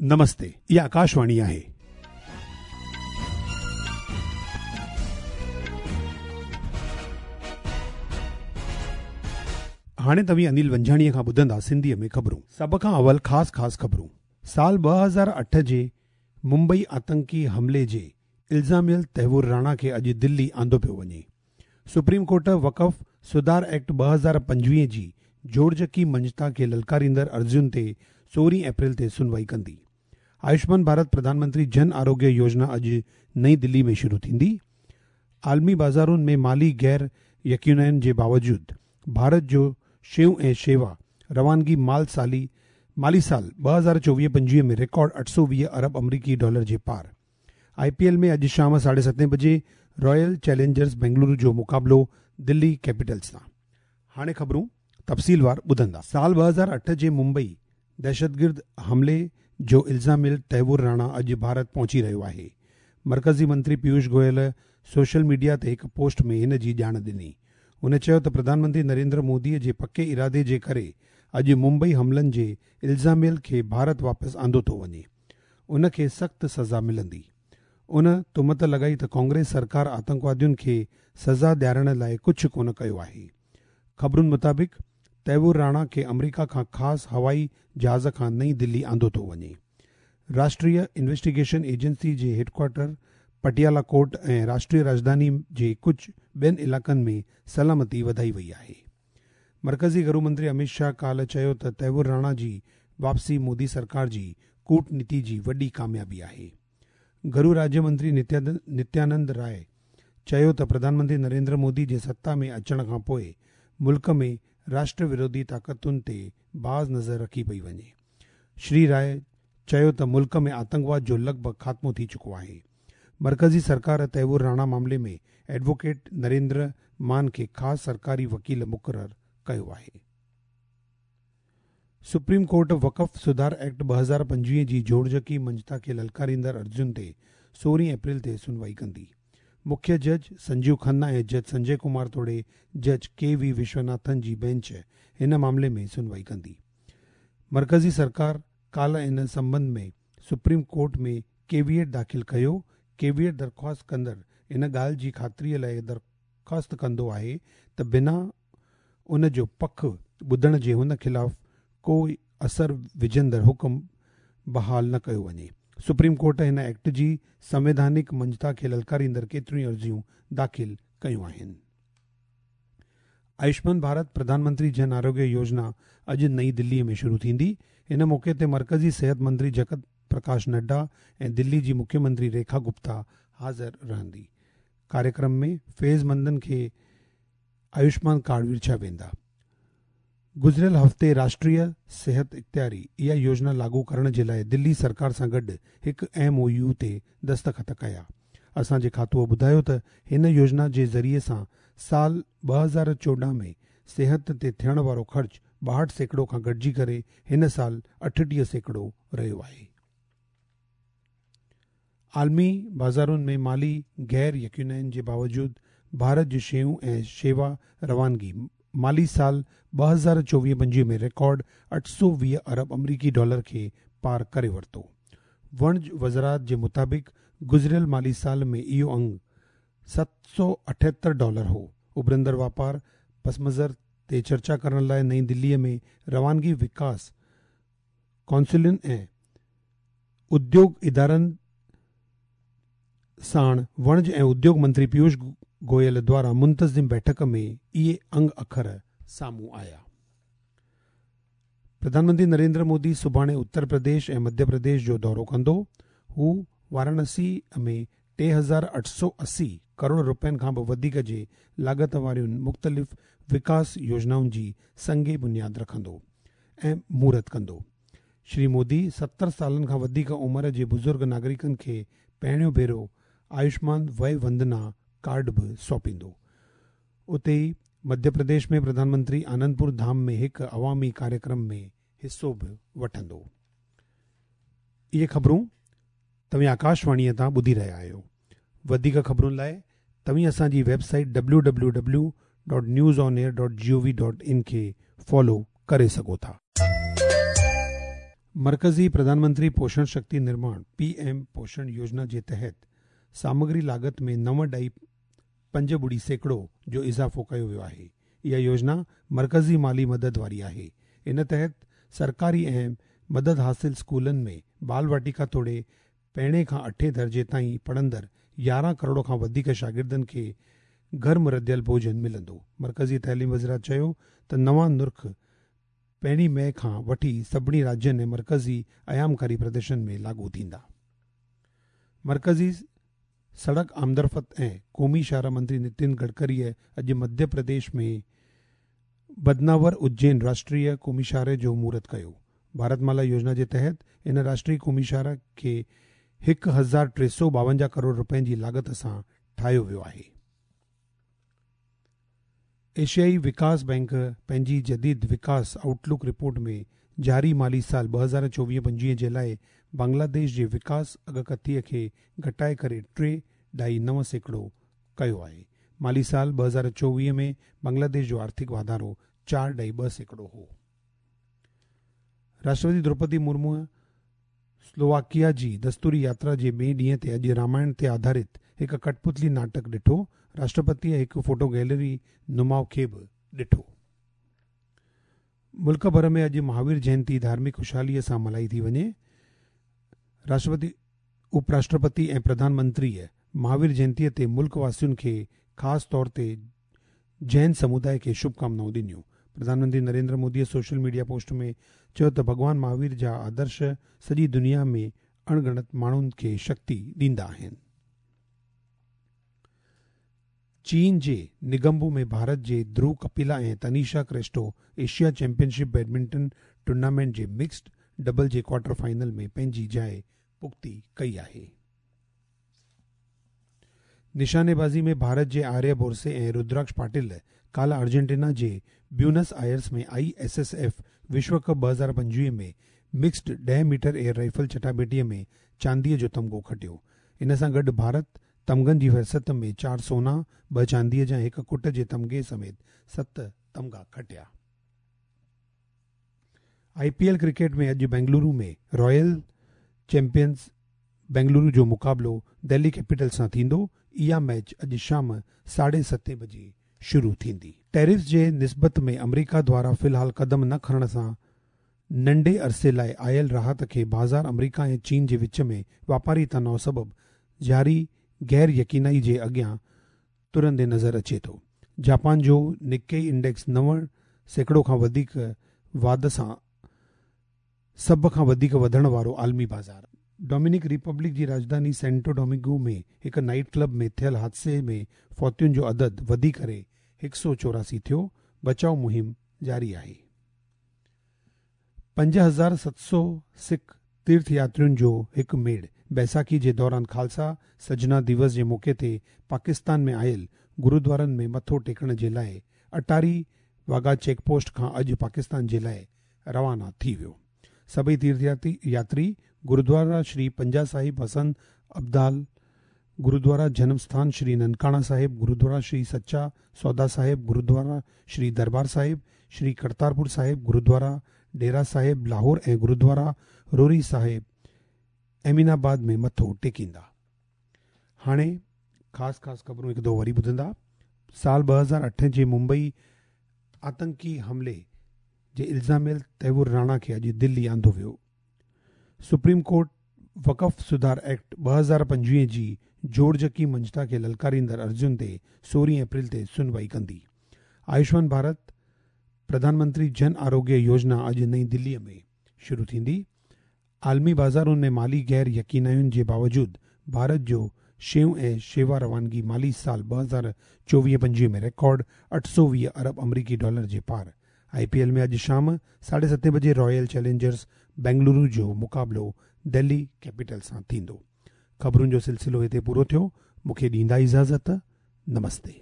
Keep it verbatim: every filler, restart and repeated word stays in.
نمستي، اها آڪاشواڻي آهي. هاڻي توهين انيل ونجهاڻيءَ کان ٻڌندا سنڌيءَ ۾ خبرون. سڀ کان اول خاص خاص خبرون. سال ٻه هزار اٺ جي ممبئي آتنڪي حملي جي الزاميل تهوور راڻا کي اڄ دلي آندو پيو وڃي. سپريم ڪورٽ وقف سڌار ايڪٽ ٻه هزار پنجويهه جي جوڙجڪي مڃتا کي للڪاريندڙ عرضين تي سورهين اپريل تي سنوائي ڪندي. آيوشمان ڀارت پرڌان منتري جن آروگيه يوجنا اڄ نئين دلي ۾ شروع ٿيندي. عالمي بازارن ۾ مالي غير يقينين جي باوجود ڀارت جو شيون ۽ شيوا روانگي مال سالي مالي سال ٻه هزار چوويهه پنجويهه ۾ رڪارڊ اٺ سؤ ويهه ارب آمريڪي ڊالر جي پار. آئي پي ايل ۾ اڄ شام ساڍي ستين بجي رائل چئلينجرز بينگلورو جو مقابلو دلي ڪيپيٽلز سان. هاڻي خبرون تفصيلوار ٻڌندا. سال ٻه هزار اٺ جي ممبئي دهشتگرد حملي جو الزاميل تهوور راڻا اڄ ڀارت پهچي رهيو آهي. مرڪزي منتري پيوش گويل سوشل ميڊيا تي هڪ پوسٽ ۾ هن جي ڄاڻ ڏني. هن چيو ته پرڌان منتري نريندر موديءَ جي پڪي ارادي جي ڪري اڄ ممبئي حملن جي الزاميل کي ڀارت واپس آندو ٿو وڃي. ان کي سخت سزا ملندي. ان تهمت لڳائي ته ڪانگريس سرڪار آتنڪوادين کي سزا ڏيارڻ لاءِ ڪجهه ڪونه ڪيو آهي. خبرن مطابق تهوور راڻا کي آمريڪا کان خاص هوائي جهاز کان نئين دلي آندو ٿو وڃي. راشٽريه انويسٽيگيشن ايجنسي جي head quarter Patiala court ۽ Rashtriya راڄڌاني جي ڪجهه ٻين علائقن ۾ سلامتي وڌائي وئي آهي. مرڪزي گهرو منتري امت شاهه ڪالهه چيو ته تهوور راڻا جي واپسي مودي سرڪار جي ڪوٽنيتي جي وڏي ڪاميابي آهي. گهرو راجيه منتري نتيانند راءِ چيو ته پرڌان منتري نريندر مودي جي ستا ۾ اچڻ کان پوءِ ملڪ ۾ راشٽر وروڌي طاقتن تي باز نظر رکي پئي وڃي. شري راءِ چيو ته ملڪ ۾ آتنڪواد جو لڳ ڀڳ خاتمو ٿي چڪو آهي. مرڪزي سرڪار تهوور راڻا معاملي ۾ ايڊووڪيٽ نريندر مان کي خاص سرڪاري وڪيل مقرر ڪيو آهي. سپريم ڪورٽ وقف سڌار ايڪٽ ٻه هزار پنجويهه جي جوڙجڪي مڃتا کي للڪاريندڙ عرضين تي سورهين اپريل تي سنوائي ڪندي. مکيه جج سنجيو کنا ۽ جج سنجي ڪمار توڙي جج ڪي وي وشوناٿن جي بينچ هن معاملي ۾ سنوائي ڪندي. مرڪزي سرڪار ڪالهه ان سنٻنڌ ۾ سپريم ڪورٽ ۾ ڪيويئٽ داخل ڪيو. ڪيويئٽ درخواست ڪندڙ ان ڳالهه جي خاطريءَ لاءِ درخواست ڪندو آهي ته بنا ان جو پک ٻڌڻ جي هن خلاف ڪو اثر وجهندڙ حڪم بحال نه ڪيو وڃي. سپريم ڪورٽ هن ايڪٽ جي سنويڌانڪ مڃتا کي للڪاريندڙ ڪيتريون عرضيون داخل ڪيون آهن. آيوشمان ڀارت پرڌان منتري جن آروگيه يوجنا اڄ نئين دليءَ ۾ شروع ٿيندي. هن موقعي تي مرڪزي صحت منتري جگت پرڪاش نڊا ۽ دلي جي مکيه منتري ريکا گپتا حاضر رهندي. ڪاريڪرم ۾ فيضمندن کي آيوشمان ڪارڊ ورڇيا ويندا. گذريل هفتي راشٽريه صحت اختياري اها يوجنا لاڳو ڪرڻ جي لاءِ دلي سرڪار سان گڏ هڪ ايم او يو تي دستخط ڪيا. اسان جي کاتوءَ ٻڌايو ته هن يوجنا جي ذريعي سان سال ٻه هزار چوڏهن ۾ صحت تي ٿيڻ وارو خرچ ٻاهٺ سيڪڙو کان گهٽجي ڪري هن سال اٺٽيهه سيڪڙو رهيو آهي. عالمي بازارن ۾ مالي غير يقينين جي باوجود ڀارت جون شيون ۽ شيوا روانگي مالي سال ٻه هزار چوويهه پنجويهه ۾ رڪارڊ اٺ سؤ ويهه ارب آمريڪي ڊالر کي پار ڪري ورتو. وڻج وزارت جي مطابق گذريل مالي سال ۾ اهو انگ ست سؤ اٺهتر ڊالر هو. اڀرندڙ واپار پس منظر تي چرچا ڪرڻ لاءِ نئين دليءَ ۾ روانگي وڪاس ڪائونسلن ۽ اديوگ ادارن ساڻ وڻج ۽ اديوگ منتري پيوش گويل دواران منتظم بيٺڪ ۾ اهي انگ اکر سامهون آيا. پرڌان منتري نريندر مودي سڀاڻي اتر پرديش ۽ مڌيه پرديش جو دورو ڪندو. هو وارانسي ۾ ٽي هزار اٺ سؤ اسي ڪروڙ رپين کان به وڌيڪ جي لاڳت وارين مختلف وڪاس يوجنائن جي سنگ بنياد رکندو ۽ مهورت ڪندو. شري مودي ستر سالن کان وڌيڪ عمر جي بزرگ ناگرڪن کي پهريون ڀيرو آيوشمان وي وندنا ڪارڊ به سونپيندو. اتي ئي مڌيه پرديش ۾ پرڌان منتري آنندپور ڌام ۾ هڪ عوامي ڪاريڪرم ۾ حصو به وٺندو. اهي خبرون توهين آڪاشواڻيءَ تان ٻڌي رهيا آهيو. وڌيڪ خبرن لاءِ توهين اسان جي website W W W dot news on air dot G O V dot in کي فالو ڪري سگهو ٿا. मर्कज़ी प्रधानमंत्री पोषण शक्ति निर्माण पी एम पोषण योजना जे तहत सामग्री लागत में नव ॾाई पंज ॿुड़ी सैकड़ो जो इज़ाफ़ो कयो वियो आहे। इहा योजना मर्कज़ी माली मदद वारी आहे। इन तहत सरकारी ऐं मदद हासिल स्कूलनि में बाल वाटिका तोड़े पहिरें खां अठें दर्जे ताईं पढ़ंदड़ यारहं करोड़ खां वधीक शागिर्दनि खे गर्म रंधियल भोजन मिलंदो। मर्कज़ी तइलीम वज़ारत चयो त नवां नुर्ख पहिरीं मई खां वठी सभिनी राज्यनि ऐं मर्कज़ी अयामकारी प्रदेशनि में लागू थींदा। मर्कज़ी सड़क आमदरफ़्त ऐं क़ौमी शाहराह मंत्री नितिन गडकरीअ अॼु मध्य प्रदेश में बदनावर उज्जैन राष्ट्रीय क़ौमी शाहराह जो मुहूर्त कयो। भारतमाला योजना जे तहत इन राष्ट्रीय क़ौमी शाहराह खे हिकु हज़ार टे सौ ॿावंजाह करोड़ रुपयनि जी लागत सां ठाहियो वियो आहे। एशियाई विकास बैंक पंहिंजी जदीद विकास आउटलुक रिपोर्ट में जारी माली साल ॿ हज़ार चोवीह पंजवीह जे लाइ बांग्लादेश जे विकास अॻकथीअ खे घटाए करे टे ॾाई नव सैकड़ो कयो आहे। माली साल ॿ हज़ार चोवीह में बांग्लादेश जो आर्थिक वाधारो चारि ॾाई ॿ सैकड़ो हो। राष्ट्रपति द्रौपदी मुर्मू स्लोवाकिया जी दस्तूरी यात्रा जे ॿिए ॾींहं ते अॼु रामायण ते आधारित हिकु कठपुतली नाटक ॾिठो। राष्ट्रपतीअ हिकु फोटो गैलरी नुमाउ खे बि ॾिठो। मुल्क भर में अॼु महावीर जयंती धार्मिक ख़ुशहालीअ सां मल्हाई थी वञे। राष्ट्रपति, उपराष्ट्रपति ऐं प्रधानमंत्रीअ महावीर जयंतीअ ते मुल्क वासियुनि खे ख़ासि तौर ते जैन समुदाय खे शुभकामनाऊं ॾिनियूं। प्रधानमंत्री नरेंद्र मोदीअ सोशल मीडिया पोस्ट में चयो त भॻवान महावीर जा आदर्श सॼी दुनिया में अणगणत माण्हुनि खे शक्ति ॾींदा आहिनि। चीन जे निगम्बो में भारत जे ध्रुव कपिला ऐं Tanisha Crasto Asia championship badminton tournament जे मिक्स्ड डबल जे क्वार्टर फाइनल में पंहिंजी जाइ पुख़्ती कई आहे। निशानेबाज़ी में भारत जे आर्य बोरसे ऐं रुद्राक्ष पाटिल काल्ह अर्जेंटीना जे Buenos Aires में I S S F विश्व कप ॿ हज़ार पंजवीह में मिक्स्ड ॾह मीटर एयर राइफल चटाबेटीअ में चांदीअ जो तमगो खटियो। इन सां गॾु भारत तमगनि जी फ़हरिस्त में चारि सोना, ॿ चांदीअ जा हिकु कुट जे तमगे समेत सत तमगा खटिया। I P L cricket में अॼु बेंगलुरु में रॉयल चैंपियंस बेंगलुरु जो मुक़ाबिलो दिल्ली कैपिटल सां थींदो। इहा मैच अॼु शाम साढे सतें बजे शुरू थींदी। टैरिफ जे निस्बत में अमरीका द्वारा फ़िलहाल क़दम न खणण सां नंढे अरसे लाइ आयल राहत खे बाज़ार अमरीका ऐं चीन जे विच में वापारी तनाव सबबु जारी गैर यकीनाई जे अॻियां तुरंदे नज़र अचे थो। जापान जो निकेई इंडेक्स नव सैकड़ो खां वधीक वाध सां सभ खां वधीक वधण वारो आलमी बाज़ार। डोमिनिक रिपब्लिक जी राजधानी सेंटो डोमिंगो में हिकु नाइट क्लब में थियल हादसे में फौतियुनि जो अदद वधी करे हिकु सौ चौरासी थियो। बचाव मुहिम जारी आहे। पंज हज़ार सत सौ सिख तीर्थ यात्रियुनि जो हिकु मेड़ बैसाखी जे दौरान खालसा सजना दिवस जे मौक़े ते पाकिस्तान में आयल गुरुद्वारनि में मथो टेकण जे लाइ अटारी वाघा चेक पोस्ट खां अॼु पाकिस्तान जे लाइ रवाना थी वियो। सभई तीर्थ यात्री गुरुद्वारा श्री पंजा साहिब हसन अब्दाल, गुरुद्वारा जन्मस्थान श्री ननकाना साहिब, गुरुद्वारा श्री सच्चा सौदा साहिब, गुरुद्वारा श्री दरबार साहिब, श्री करतारपुर साहिब, गुरुद्वारा डेरा साहिब लाहौर ऐं गुरुद्वारा रोरी साहिब अमीनाबाद में मथो टेकींदा। हाणे ख़ासि ख़ासि ख़बरूं हिकु दफ़ो वरी ॿुधंदा। साल ॿ हज़ार अठ जे मुंबई आतंकी हमले जे इल्ज़ामियल तहवुर राणा खे अॼु दिल्ली आंदो वियो। सुप्रीम कोर्ट वक़फ़ सुधार एक्ट ॿ हज़ार पंजवीह जी जोड़जकी मंझता खे ललकारींदड़ अर्ज़ियुनि ते सोरहं अप्रैल ते सुनवाई कंदी। आयुष्मान भारत प्रधानमंत्री जन आरोग्य योजना अॼु नई दिल्लीअ में शुरू थींदी। आलमी बाज़ारुनि में माली गैर यकीनायुनि जे बावजूद भारत जो शयूं ऐं शेवा रवानगी माली साल ॿ हज़ार चोवीह पंजवीह में रिकॉर्ड अठ सौ वीह अरब अमरीकी डॉलर जे पार। I P L में अॼु शाम साढे सतें बजे रॉयल चैलेंजर्स बेंगलुरु जो मुक़ाबिलो दिल्ली कैपिटल सां थींदो। ख़बरुनि जो सिलसिलो हिते पूरो थियो। मूंखे ॾींदा इजाज़त। नमस्ते।